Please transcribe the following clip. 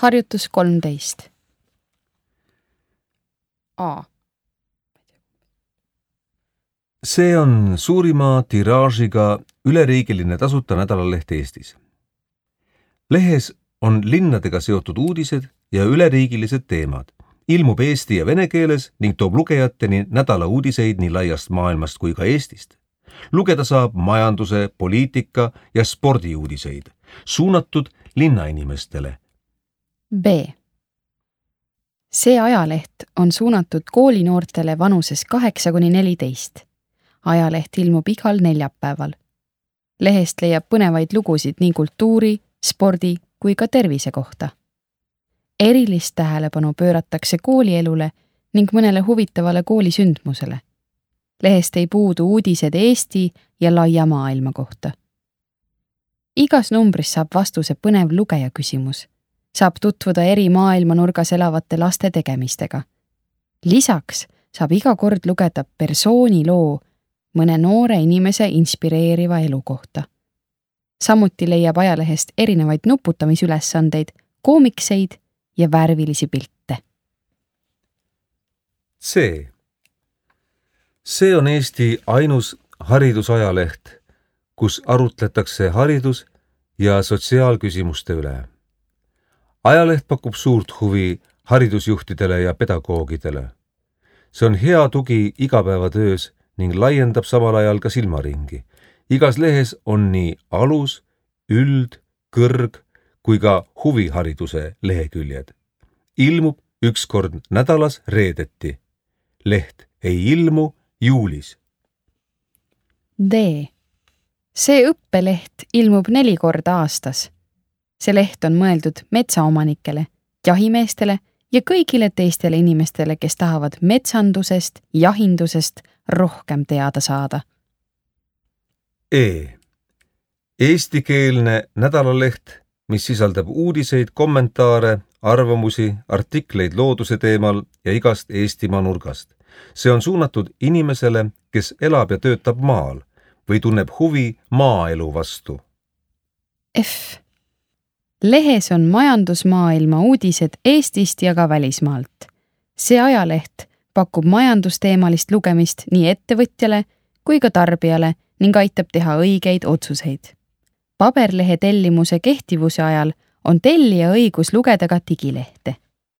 Harjutus 13. A. See on suurima tiraažiga üleriigiline tasuta nädalaleht Eestis. Lehes on linnadega seotud uudised ja üleriigilised teemad. Ilmub eesti ja vene keeles ning toob lugejateni nädala uudiseid nii laiast maailmast kui ka Eestist. Lugeda saab majanduse, poliitika ja spordiuudiseid, suunatud linnainimestele. B. See ajaleht on suunatud koolinoortele vanuses 8–14. Ajaleht ilmub igal neljapäeval. Lehest leiab põnevaid lugusid nii kultuuri, spordi kui ka tervise kohta. Erilist tähelepanu pööratakse koolielule ning mõnele huvitavale koolisündmusele. Lehest ei puudu uudised Eesti ja laia maailma kohta. Igas numbris saab vastuse põnev lugeja küsimus. Saab tutvuda eri maailmanurgas elavate laste tegemistega. Lisaks saab iga kord lugeda persooni loo mõne noore inimese inspireeriva elu kohta. Samuti leiab ajalehest erinevaid nuputamisülesandeid, koomikseid ja värvilisi pilte. C. See on Eesti ainus haridusajaleht, kus arutletakse haridus- ja sotsiaalküsimuste üle. Ajaleht pakub suurt huvi haridusjuhtidele ja pedagoogidele. See on hea tugi igapäevatöös ning laiendab samal ajal ka silmaringi. Igas lehes on nii alus, üld, kõrg kui ka huvihariduse leheküljed. Ilmub üks kord nädalas reedeti. Leht ei ilmu juulis. D. See õppeleht ilmub 4 korda aastas. See leht on mõeldud metsaomanikele, jahimeestele ja kõigile teistele inimestele, kes tahavad metsandusest, jahindusest rohkem teada saada. E. Eestikeelne nädalaleht, mis sisaldab uudiseid, kommentaare, arvamusi, artikleid looduse teemal ja igast Eestimaa nurgast. See on suunatud inimesele, kes elab ja töötab maal või tunneb huvi maaelu vastu. F. Lehes on majandusmaailma uudised Eestist ja ka välismaalt. See ajaleht pakub majandusteemalist lugemist nii ettevõtjale kui ka tarbijale ning aitab teha õigeid otsuseid. Paberlehe tellimuse kehtivuse ajal on tellija õigus lugeda ka digilehte.